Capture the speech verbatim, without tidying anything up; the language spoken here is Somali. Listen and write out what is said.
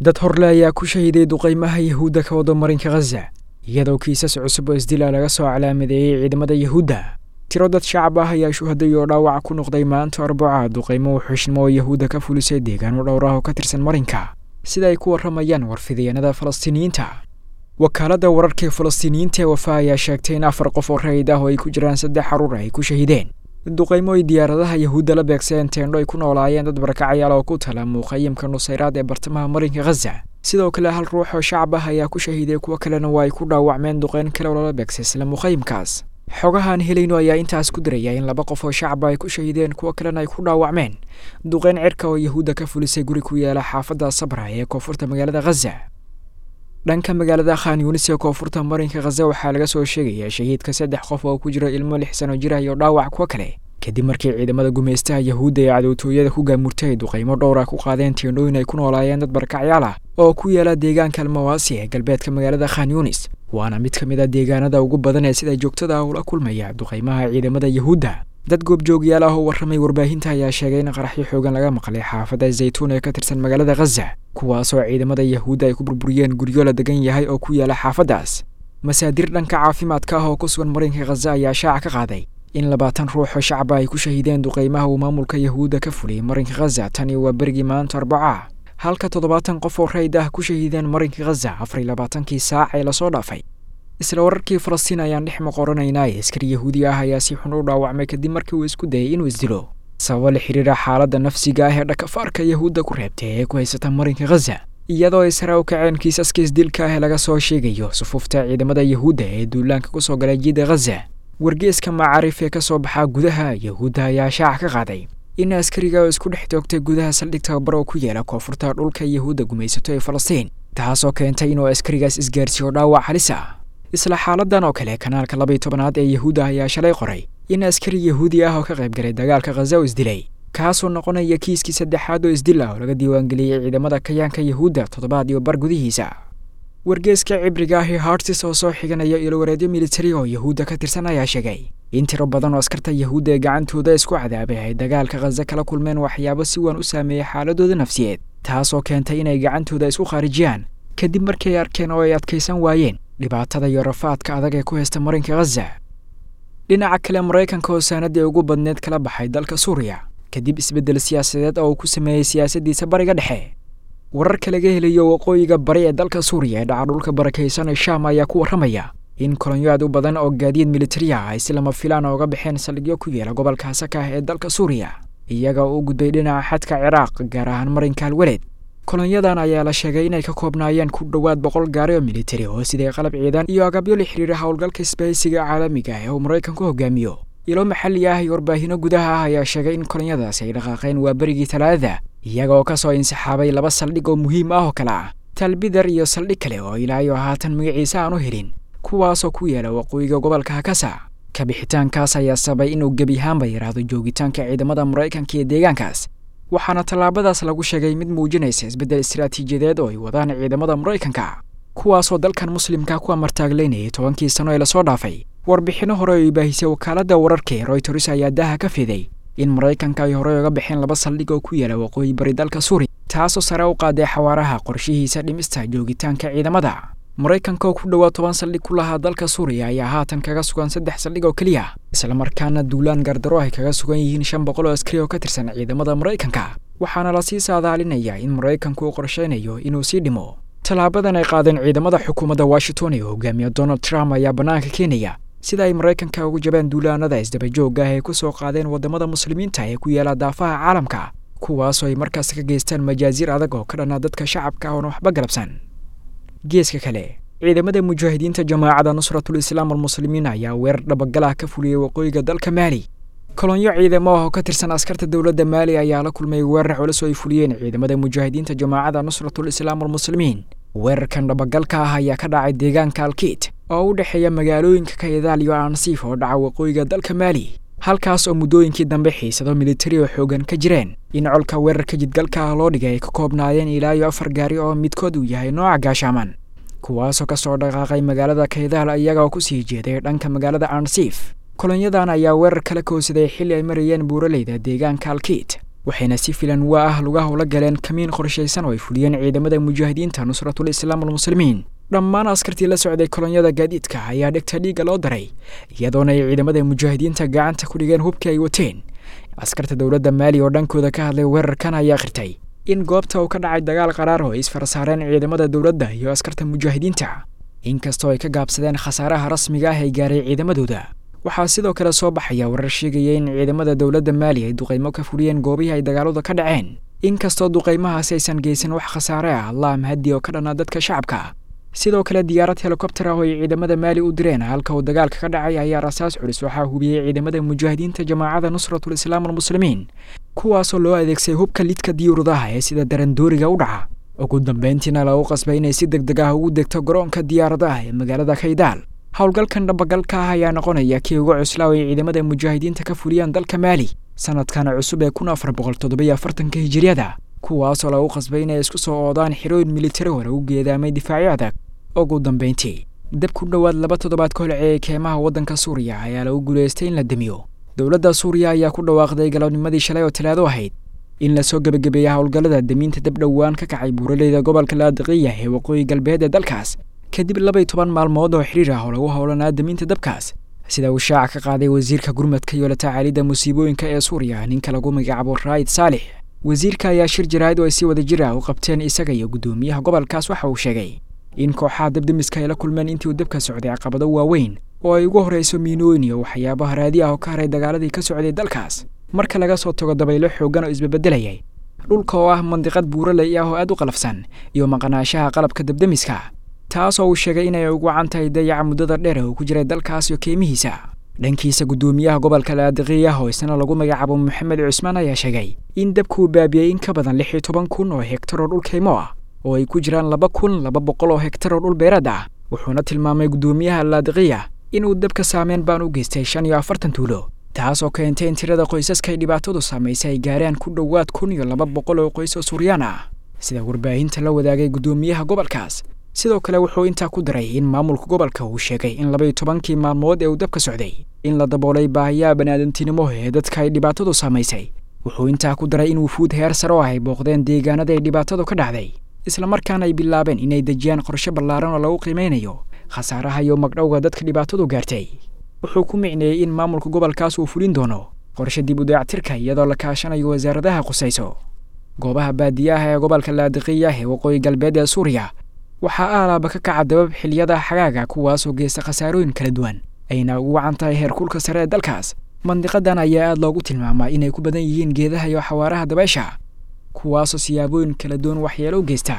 Dad horle ayaa ku shahiday duqaymaha Yahuudda ka wada marinka Ghaza, iyadoo kiisas cusub oo isdila laga soo calaamadeeyey ciidamada Yahuudda. Tiro dad shacab ah ayaa shuhaday oo dhaawac ku noqday maanta Arbaca duqaymo wuxuushnimo oo Yahuudda ka fulisay deegaano dhowr ah oo ka tirsan marinka, sida ay ku warramayaan warfidayaanada Falastiiniyiinta. Wakaaladda wararka ee Falastiiniyiinta ee Wafa ayaa sheegtay in afar qof oo rayid ah oo ay ku jiraan saddex carruur ay ku shahideen duqaymo ay diyaaradaha Yahuudda la beegsadeen teendho ay ku noolaayeen dad barakacayaal oo ku tala muqayimka Nusayraad ee bartamaha marinka Ghaza. Sidoo kale hal ruux oo shacab ah ayaa ku shahiiday, kuwo kalena waa ay ku dhaawacmeen duqeyn kale oo lala beegsay isla muqayimkaas. Xogahaan helayno ayaa intaas ku diraya in laba qof oo shacab ay ku shahideen, kuwo kalena ay ku dhaawacmeen duqeyn cirka oo Yahuudda ka fulisay guri ku yaala xaafadda Sabra ee koonfurta magaalada Ghaza. Dhanka magaalada Khan Yunis ee koonfurta marinka Ghaza waxaa laga soo sheegayaa shahiidka saddex qof oo ku jira ilmo lix sano jir ah iyo dhaawac kuwo kale, kadib markii ciidamada gumaystaha Yahuudda ee cadowtooyada ku gaamurtay duqaymo dhowr ah ku qaadeen teendhooyin ay ku noolaayeen dad barakacyaal ah oo ku yaala deegaanka Almawaasi ee galbeedka magaalada Khan Yunis, waana mid ka mid ah deegaanada ugu badan ee sida joogtada ah ula kulmaya duqaymaha ciidamada Yahuudda. Dad goobjoogyaal ah oo warramay warbaahinta ayaa sheegay in qaraxyo xoogan laga maqlay xaafadda Zaytuun ee ka tirsan magaalada Ghaza, kuwaasoo ciidamada Yahuudda ay ku burburiyeen guryo la degan yahay oo ku yaala xaafaddaas. Masaadir dhanka caafimaadka ah oo ku sugan marinka Ghaza ayaa shaaca ka qaaday in labaatan ruux oo shacaba ay ku shahideen duqaymaha uu maamulka Yahuudda ka fuliyey marinka Ghaza tani waa berigii maanta Arbaca, halka toddobaatan qof oo rayid ah ku shahideen marinka Ghaza afar iyo labaatankii saac ee lasoo dhaafay. Isla wararkii Falastiin ayaan dhex maqoranaynaa. Askari Yahuudi ah ayaa si xun u dhaawacmay kadib markii uu isku dayay inuu isdilo, sababo la xiriira xaaladda nafsiga ah ee dhakafaarka Yahuudda ku reebtay ee ku haysata marinka Ghaza, iyadoo ay sare u kaceen kiisaska isdilka ah ee laga soo sheegayo sufuufta ciidamada Yahuudda ee duulaanka kusoo galay jiida Ghaza. Wargeeska Macaarif ee ka soo baxaa gudaha Yahuudda ayaa shaaca ka qaaday in askariga oo isku dhex toogtay gudaha saldhig tababar oo ku yaala koonfurta dhulka Yahuudda gumaysato ee Falastiin, taasoo keentay inuu askarigaas isgaarsiiyo dhaawac halis ah. Isla xaaladan oo kale, kanaalka laba iyo tobanaad ee Yahuudda ayaa shalay qoray in askari Yahuudi ah oo ka qayb galay dagaalka Ghaza oo isdilay, kaasoo noqonaya kiiskii saddexaad oo isdil ah oo laga diiwaangeliyey ciidamada kayaanka Yahuudda toddobaad iyo bar gudihiisa. Wargeeska cibriga ah ee Hartis oo soo xiganaya ilowareedyo militari oo Yahuudda ka tirsan ayaa sheegay in tiro badan oo askarta Yahuudda ee gacantooda isku cadaabay ay dagaalka Ghaza kala kulmeen waxyaabo si weyn u saameeyey xaaladooda nafsiyeed, taasoo keentay inay gacantooda isku khaarijiyaan kadib markii ay arkeen oo ay adkaysan waayeen dhibaatada iyo rafaadka adag ee ku haysta marinka Ghaza. Dhinaca kale, Maraykanka oo saanadii ugu badneed kala baxay dalka Suuriya kadib isbeddel siyaasadeed oo uu ku sameeyey siyaasaddiisa bariga dhexe. Wararka laga helayo waqooyiga bari ee dalka Suuriya ee dhaca dhulka barakaysan ee Shaam ayaa ku warramaya in kolonyo aad u badan oo gaadiid militari ah ay si lama filaan ooga baxeen saldhigyo ku yaala gobolka Hasaka ee dalka Suuriya, iyaga oo u gudbay dhinaca xadka Ciraaq, gaar ahaan marinka Alwaleed. Kolonyadan ayaa la sheegay inay ka koobnaayeen ku dhowaad boqol gaari oo militari oo siday qalab ciidan iyo agabyo la xiriira howlgalka isbahaysiga caalamiga ah ee uu Maraykanku hogaamiyo. Ilo maxalli ah iyo warbaahinno gudaha ah ayaa sheegay in kolonyadaasi ay dhaqaaqeen waa berigii Talaadada, iyaga oo kasoo insixaabay laba saldhig oo muhiim ah oo kale ah Talbidar iyo saldhig kale oo ilaa iyo haatan magaciisa aan u helin, kuwaasoo ku yaala waqooyiga gobolka Hakasa. Kabixitaankaas ayaa sababay inuu gebi ahaanba yaraado joogitaanka ciidamada Maraykanka ee deegaankaas, waxaana tallaabadaas lagu sheegay mid muujinaysa isbeddel istiraatiijiyadeed oo ay wadaan ciidamada Maraykanka, kuwaasoo dalkan muslimka ku amartaagleynayay tobankii sano ee lasoo dhaafay. Warbixinno hore oo ay baahisay wakaaladda wararka ee Reuters ayaa daaha ka fiday in Maraykanka ay horey uga baxeen laba saldhig oo ku yaala waqooyi bari dalka Suuriya, taasoo sare u qaaday xawaaraha qorshihiisa dhimista joogitaanka ciidamada. Maraykanka oo ku dhowaad toban saldhig ku lahaa dalka Suuriya ayaa haatan kaga sugan saddex saldhig oo keliya, islamarkaana duulaan gardaro ay kaga sugan yihiin shan boqol oo askari oo ka tirsan ciidamada Maraykanka, waxaana lasii saadaalinayaa in Maraykanku uu qorsheynayo inuu sii dhimo. Tallaabadan ay qaadeen ciidamada xukuumadda Washington ee hogaamiya Donald Trump ayaa bannaanka keenaya sida ay Maraykanka ugu jabeen duulaanada isdabajoogga ah ee ku soo qaadeen waddamada muslimiinta ee ku yaala daafaha caalamka, kuwaasoo ay markaas ka geystaan majaasiir adag oo ka dhana dadka shacabka ah oona waxba galabsan. Geeska kale, ciidamada mujaahidiinta jamaacada Nusratul Islaam almuslimiin ayaa weerar dhabagal ah ka fuliyey waqooyiga dalka Maali. Kolonyo ciidamo ah oo ka tirsan askarta dowladda Maali ayaa la kulmay weerar culus oo ay fuliyeen ciidamada mujaahidiinta jamaacada Nusratul Islaam almuslimiin. Weerarkan dhabagalka ah ayaa ka dhacay deegaanka Alkiit oo u dhexeeya magaalooyinka Kayadaal iyo Ansiif oo dhaca waqooyiga dalka Maali, halkaas oo muddooyinkii dambe xiisado militari oo xoogan ka jireen. In colka weerarka jidgalka ah loo dhigay ay ka koobnaayeen ilaa iyo afar gaari oo midkood uu yahay nooca gaashaaman, kuwaasoo kasoo dhaqaaqay magaalada Kaydaal iyaga oo kusii jeeday dhanka magaalada Ansiif. Kolonyadan ayaa weerar kala koonsaday xilli ay marayeen buuraleyda deegaanka Alkiit, Waxayna si filan waa ah lugaha ula galeen kamiin qorshaysan oo ay fuliyeen ciidamada mujaahidiinta Nusratul Islaam walmuslimiin. Dhammaan askartii la socday kolonyada gaadiidka ayaa dhegta dhiigga loo daray, iyadoona ay ciidamada mujaahidiinta gacanta ku dhigeen hubkii ay wateen. Askarta dowladda Maali oo dhankooda ka hadlay weerarkan ayaa akhritay in goobta uu ka dhacay dagaal qaraar oo ay isfarasaareen ciidamada dowladda iyo askarta mujaahidiinta, inkastoo ay ka gaabsadeen khasaaraha rasmiga ah ee gaaray ciidamadooda. Waxaa sidoo kale soo baxaya warar sheegaya in ciidamada dowladda Maali ay duqeymo ka fuliyeen goobihii ay dagaaladu ka dhaceen, inkastoo duqeymahaasi aysan geysan wax khasaare ah Allah mahadi oo ka dhanaa dadka shacabka. Sidoo kale diyaarad helikobter ah oo ay ciidamada Maali u direen halka uu dagaalka ka dhacay ayaa rasaas culus waxaa hubiyey ciidamada mujaahidiinta jamaacada Nusratul Islaam walmuslimiin, kuwaasoo loo adeegsay hubka lidka diyuuradaha ee sida darandooriga u dhaca. Ugu dambeyntiina lagu qasbay inay si degdeg ah ugu degto garoonka diyaaradaha ee magaalada Kaydaal. Howlgalkan dhabagalka ah ayaa noqonaya kii ugu cuslaa oo ay ciidamada mujaahidiinta ka fuliyaan dalka Maali sanadkan cusub ee kun afar boqol toddoba afartanka hijiriyada, kuwaasoo lagu qasbay inay isku soo oodaan xirooyin militari oo lagu geedaamay difaacyo adag. Ugu dambeyntii, dab ku dhowaad laba toddobaad ka holceeyay keymaha waddanka Suuriya ayaa lagu guuleystay in la damiyo. Dowladda Suuriya ayaa ku dhawaaqday galabnimadii shalay oo Talaado ahayd in lasoo gebagabeeyay howlgallada damiinta dab dhowaan ka kacay buuraleyda gobolka Laadiqiya ee waqooyi galbeed ee dalkaas, kadib laba iyo toban maalmood oo xiriir ah oo lagu howlanaa damiinta dabkaas. Sida uu shaaca ka qaaday wasiirka gurmadka iyo la tacaalidda musiibooyinka ee Suuriya, ninka lagu magacaabo Raayid Saalix. Wasiirka ayaa shir jaraa'id oo ay si wada jir ah u qabteen isaga iyo guddoomiyaha gobolkaas waxa uu sheegay in kooxaha dabdemiska ay la kulmeen intii uu dabka socday caqabado waaweyn oo ay ugu horreyso miinooyin iyo waxyaabaha raadi ah oo ka haray dagaaladii ka socday dalkaas, marka laga soo tago dabaylo xooggan oo isbabeddelayay, dhulka oo ah mandiqad buuraley ah oo aad u qalafsan, iyo maqnaanshaha qalabka dabdemiska, taasoo uu sheegay inay ugu wacan tahay dayaca muddada dheer ee uu ku jiray dalkaas iyo keymihiisa. Dhankiisa guddoomiyaha gobolka Laadiqiya oo isna lagu magacaabo Maxamed Cusmaan ayaa sheegay in dabku uu baabiyey in ka badan lix iyo toban kun oo hektar oo dhul keymo ah oo ay ku jiraan laba kun laba boqol oo hektar oo dhul beereed ah. Wuxuuna tilmaamay guddoomiyaha Laadiqiya inuu dabka saameyn baan u geystay shan iyo afartan tuulo, taasoo keentay in tirada qoysaska ay dhibaatadu saamaysay ay gaaraan ku dhowaad kun iyo laba boqol oo qoys oo Suuriyaan ah, sida warbaahinta la wadaagay guddoomiyaha gobolkaas. Sidoo kale wuxuu intaa ku daray in maamulka gobolka uu sheegay in laba iyo tobankii maalmood ee uu dabka socday in la daboolay baahiyaha baniaadantinimo ee dadka ay dhibaatadu saamaysay. Wuxuu intaa ku daray in wufuud heer sare oo ay booqdeen deegaanada ay dhibaatadu ka dhacday, islamarkaana ay bilaabeen inay dejiyaan qorshe ballaaran oo lagu qiimeynayo khasaaraha iyo magdhowga dadka dhibaatadu gaartay. Wuxuu ku micneeyey in maamulka gobolkaas uu fulin doono qorshe dib u dayactirka iyadoo la kaashanayo wasaaradaha khusayso. Goobaha baadiyaha ee gobolka Laadiqiya ee waqooyi galbeed ee Suuriya waxaa aalaaba ka kaca dabab xilliyada xagaaga, kuwaasoo geysta khasaarooyin kala duwan ayna ugu wacan tahay heerkulka sare ee dalkaas. Mandiqadan ayaa aad loogu tilmaamaa inay ku badan yihiin geedaha iyo xawaaraha dabaysha, kuwaasoo siyaabooyin kala duwan waxyeelo u geysta.